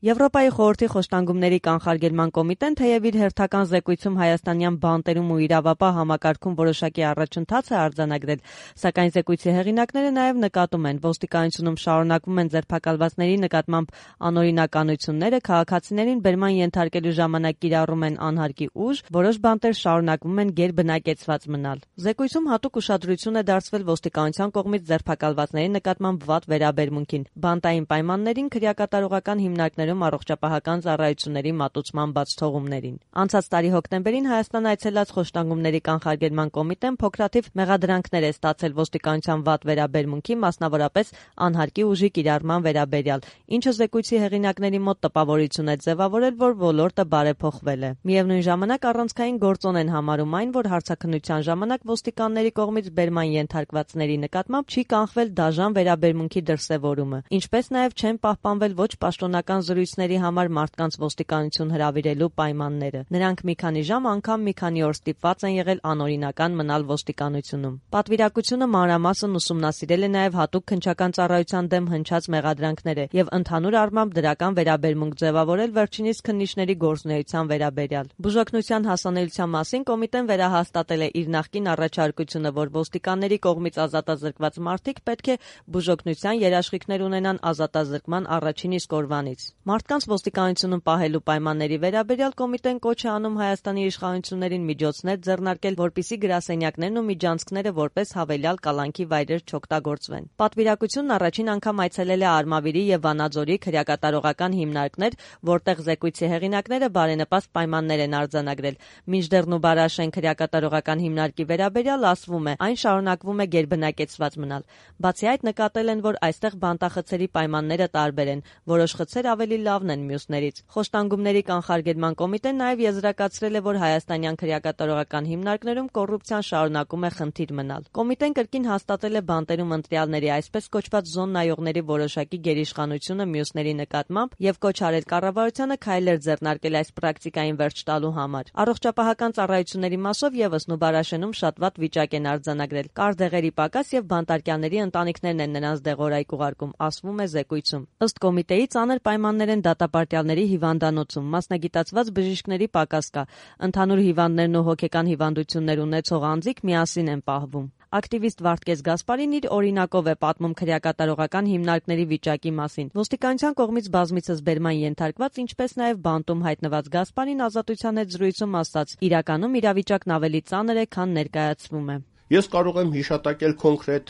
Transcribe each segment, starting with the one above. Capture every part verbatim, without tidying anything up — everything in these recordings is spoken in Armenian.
Եվրոպայի խորհրդի խոշտանգումների կանխարգելման կոմիտեն թեև իր հերթական զեկույցում հայաստանյան բանտերում ու իրավապահ համակարգում որոշակի առաջընթաց է արձանագրել, սակայն զեկույցի հեղինակները նաև նկատում են, ոստիկանությունում շարունակվում են ձերբակալվածների նկատմամբ անօրինականությունները, քաղաքացիներին բերման ենթարկելու ժամանակ կիրառում են անհարկի ուժ, որոշ բանտեր շարունակվում են գերբնակեցված մնալ։ Զեկույցում հատուկ ուշադրություն է դարձվել ոստիկանության կողմից ձերբակալվածների նկատմամբ վատ վերաբերմունքին, բանտային պայմաններին, քրեակատարողական հիմնարկներում առողջապահական ծառայությունների մատուցման բացթողումներին։ Անցած տարի հոկտեմբերին Հայաստան այցելած խոշտանգումների կանխարգելման կոմիտեն փոքրաթիվ մեղադրանքներ է ստացել ոստիկանության վատ վերաբերմունքի, մասնավորապես անհարկի ուժի կիրառման վերաբերյալ, ինչը զեկույցի հեղինակների մոտ տպավորություն է ձևավորել, որ ոլորտը բարեփոխվել է։ Միևնույն ժամանակ առանցքային գործոն են համարում այն, որ հարցաքննության ժամանակ ոստիկանների կողմից բերման ենթարկվածների նկատմամբ չի կանխվել դաժան վերաբերմունքի դրսևորումը, ինչպես նաև չեն պահպանվել ոչ պաշտոնական զրույցների համար մարդկանց ոստիկանություն հրավիրելու պայմանները։ Նրանք մի քանի ժամ, անգամ մի քանի օր ստիպված են եղել անօրինական մնալ ոստիկանությունում։ Պատվիրակությունը մանրամասն ուսումնասիրել է նաև հատուկ քննչական ծառայության դեմ հնչած մեղադրանքները եւ ընդհանուր առմամբ դրական վերաբերմունք ձևավորել վերջինիս քննիչների գործունեության վերաբերյալ։ Բուժօգնության հասանելիության մասին կոմիտեն վերահաստատել է իր նախկին առաջարկությունը, որ ոստիկանների կողմից ազատազրկված մարդիկ պետք է բուժօգնության երաշխիքներ ունենան ազատազրկման առաջին իսկ օրվանից։ Մարդկանց ոստիկանությունում պահելու պայմանների վերաբերյալ կոմիտեն կոչ է անում Հայաստանի իշխանություններին միջոցներ ձեռնարկել, որպեսզի գրասենյակներն ու միջանցքները որպես հավելյալ կալանքի վայրեր չօգտագործվեն։ Պատվիրակությունն առաջին անգամ այցելել է Արմավիրի եւ Վանաձորի քրեակատարողական հիմնարկներ, որտեղ զեկույցի հեղինակները բարենպաստ պայմաններ են արձանագրել։ Մինչդեռ Նուբարաշեն քրեակատարողական հիմնարկի վերաբերյալ ասվում է, այն շարունակվում է գերբնակեցված մնալ։ Բացի այդ, նկատել են, որ այստեղ բանտախցերի պայմանները տարբեր են, որոշ խցեր ավելի լավն են մյուսներից։ Խոշտանգումների կանխարգելման կոմիտեն նաև եզրակացրել է, որ հայաստանյան քրեակատարողական հիմնարկներում կոռուպցիան շարունակում է խնդիր մնալ։ Կոմիտեն կրկին հաստատել է բանտերում ընտրյալների, այսպես կոչված զոննայողների որոշակի գերիշխանությունը մյուսների նկատմամբ եւ կոչ արել կառավարությանը քայլեր ձեռնարկել այս պրակտիկային վերջ տալու համար։ Առողջապահական ծառայությունների մասով եւս Նուբարաշենում շատ վատ վիճակ են արձանագրել։ Կար դեղերի պակաս եւ բանտարկյալների ընտանիքներն են նրանց դեղորայք ուղարկում, ասվում է զեկույցում։ Ըստ կոմիտեի ծանր պայմաններ են դատապարտյալների հիվանդանոցում, մասնագիտացված բժիշկների պակաս կա, ընդհանուր հիվանդներն ու հոգեկան հիվանդություններ ունեցող անձիկ միասին են պահվում։ Ակտիվիստ Վարդգես Գասպարին իր օրինակով է պատմում քրեակատարողական հիմնարկների վիճակի մասին։ Ոստիկանության կողմից բազմիցս բերման ենթարկված, ինչպես նաև բանտում հայտնված Գասպարին ազատության հետ զրույցում ասաց. իրականում իրավիճակն ավելի ծանր է, քան ներկայացվում է։ Ես կարող եմ հիշատակել կոնկրետ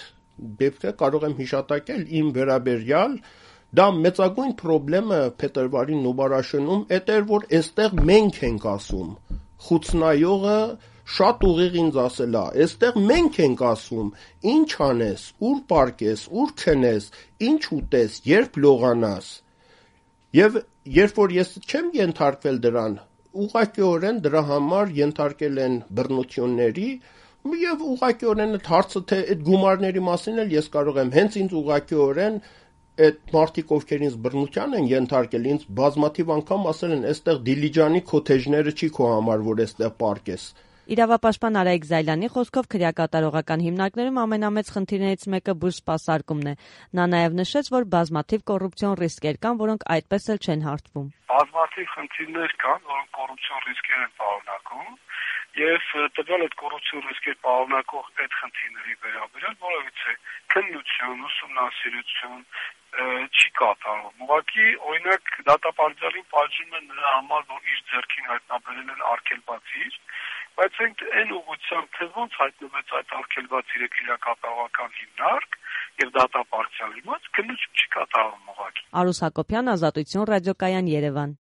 դեպքը, կարող եմ հիշատակել իմ վերաբերյալ դա մեծագույն խնդիրը փետրվարի Նուբարաշենում էդ էր, որ այստեղ մենք ենք ասում։ Խուցնայողը շատ ուղիղ ինձ ասել է, այստեղ մենք ենք ասում, ինչ անես, ուր պարկես, ուր քնես, ինչ ուտես, երբ լողանաս։ Եվ երբ որ ես չեմ ենթարկվել դրան, ուղղակիորեն դրա համար ենթարկել են բռնությունների, եւ ուղղակիորեն այդ հարցը թե այդ գումարների մասին էլ ես կարող եմ հենց ինձ ուղղակիորեն այդ մարդիկ, ովքեր ինձ բռնության են ենթարկել, ինձ բազմաթիվ անգամ ասել են, այստեղ Դիլիջանի քոթեջները չի քո համար, որ այստեղ պարկես։ Իրավապաշտպան Արայիկ Զայլյանի խոսքով քրեակատարողական հիմնարկներում ամենամեծ խնդիրներից մեկը բուժ սպասարկումն է։ Նա նաև նշեց, որ բազմաթիվ կոռուպցիոն ռիսկեր կան, որոնք այդպես էլ չեն հարթվում։ Բազմաթիվ խնդիրներ կան, որոնք կոռուպցիոն ռիսկեր են պարունակում, եւ տվյալ այդ կոռուպցիոն ռիսկեր պարունակող այդ խնդիրների վերաբերյալ որևիցե քննություն, ուսումնասիրություն չի կատարվում։ Ուղղակի, օրինակ, դատապարտյալին պատժում են նրա համար, որ իր ձեռքին հայտնաբերել են արգելվածիր, բայց այն ուղղությամբ, թե ոնց հայտնվեց այդ արգելվածիրը քրեակատարողական հիմնարկ եւ դատապարտյալի մոտ, քննություն չի կատարվում ուղղակի։ Արուս Հակոբյան, Ազատություն ռադիոկայան, Երևան։